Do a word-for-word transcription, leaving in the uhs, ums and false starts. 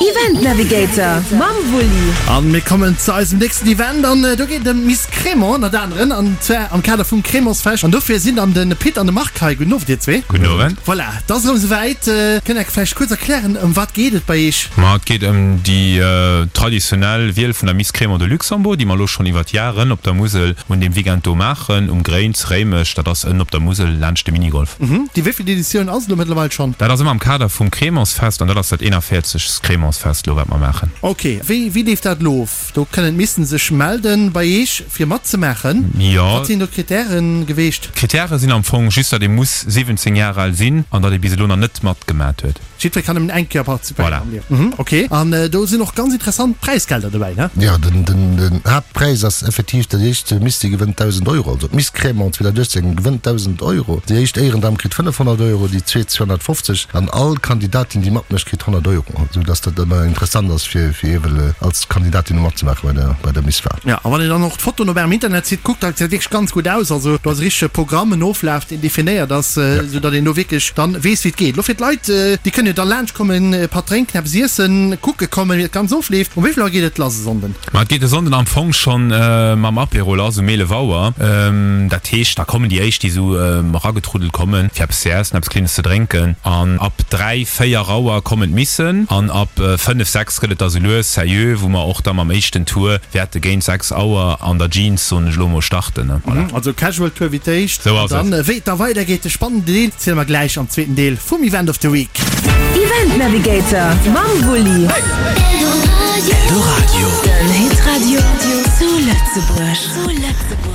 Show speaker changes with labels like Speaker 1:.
Speaker 1: Event Navigator mam Wulli.
Speaker 2: An mir kommen zu eisem nächsten Event an do geet et ëm d'Miss Crémant ënnert aneren an zwar am Kader vum Crémantsfest. An dofir sinn dann de Pit an de Marc hei. Gudden Owend dir zwee.
Speaker 3: Gudden Owend.
Speaker 2: Voilà, et ass erëm esouwäit. Kënnt der vläicht kuerz erklären ëm wat geet et bei iech?
Speaker 3: Ma et geet ëm déi traditionell Wiel vun der Miss Crémant de Luxembourg, déi mer elo schonn iwwert Jaren op der Musel un deem Weekend do maachen, um Gréin zu Réimech. Dat ass ënnen op der Musel laanscht de Minigolf.
Speaker 2: Déi wéivilt Editioun ass et elo mëttlerweil schonn?
Speaker 3: Dat ass ëmmer am Kader vum Crémantsfest an dat ass dat eenanvéierzegst Crémantsfest elo wat mer maachen.
Speaker 2: Ok, wéi wéi leeft dat elo of? Do kënnen d'Missen sech melden bei Eech fir matzemaachen.
Speaker 3: Jo.
Speaker 2: Wat sinn do d'Kritären geweecht?
Speaker 3: D'Kritäre sinn am Fong just, datt ee muss siwwenzéng Jar al sinn an datt ee bis elo nach net matgemat huet.
Speaker 2: Jiddweree kann nëmmen eng Kéier participéieren
Speaker 3: Voilà.
Speaker 2: am Liewen. Ok, an do sinn och ganz interessant Präisgelder dobäi, ne?
Speaker 4: Jo, den den Haaptpräis ass effektiv dat éischt Miss, déi gewënnt dausend Euro. Also d'Miss Crémant zweedausendachtzéng gewënnt dausend Euro. Déi éischt Éierendam kritt fënnefhonnert Euro, déi zweet zweehonnertfofzeg an all Kandidatin, déi matmécht, kritt honnert Euro. Esou datt dat ëmmer interessant ass fir fir ewell als Kandidatin do matzemaache bei der bei der Misswahl.
Speaker 2: Jo, a wann een dann och d'Fotoen op ärem Internetsite kuckt, dat gesäit wierklech ganz gutt aus. Also do ass e richtege Programm, en Oflaf, deen definéiert ass, esou datt een do wierklech dann weess, wéi et geet. Elo fir d'Leit, déi kënnen jo da laanscht kommen, e Patt drénken, eppes iessen, kucke kommen, wéi dat Ganzt ofleeft. Um wéi vill Auer geet et lass e Sonnden?
Speaker 3: Ma et geet e Sonnden am Fong schonn mam Apéro lass, um eelef Auer. Dat heescht, da kommen déi éischt, déi esou eragetruddelt kommen, fir eppes ze iessen, eppes Klenges ze drénken. An ab dräi, véier Auer kommen d'Missen. An ab fënnef, sechs gëtt et da sou lues seriö, wou mer och da mam éischten Tour wäerte géint sechs Auer an der Jeans, soen ech elo mol, starten. Voilà.
Speaker 2: Also Casual Tour wéi d'éischt.
Speaker 3: Sou ass et.
Speaker 2: An dann, wéi et da weidergeet, de spannenden Deel, ziele mer gläich am zweeten Deel vum Event of the Week.
Speaker 1: Event Navigator mam Wulli.
Speaker 5: Eldoradio.
Speaker 1: Den Hitradio zu Lëtzebuerg.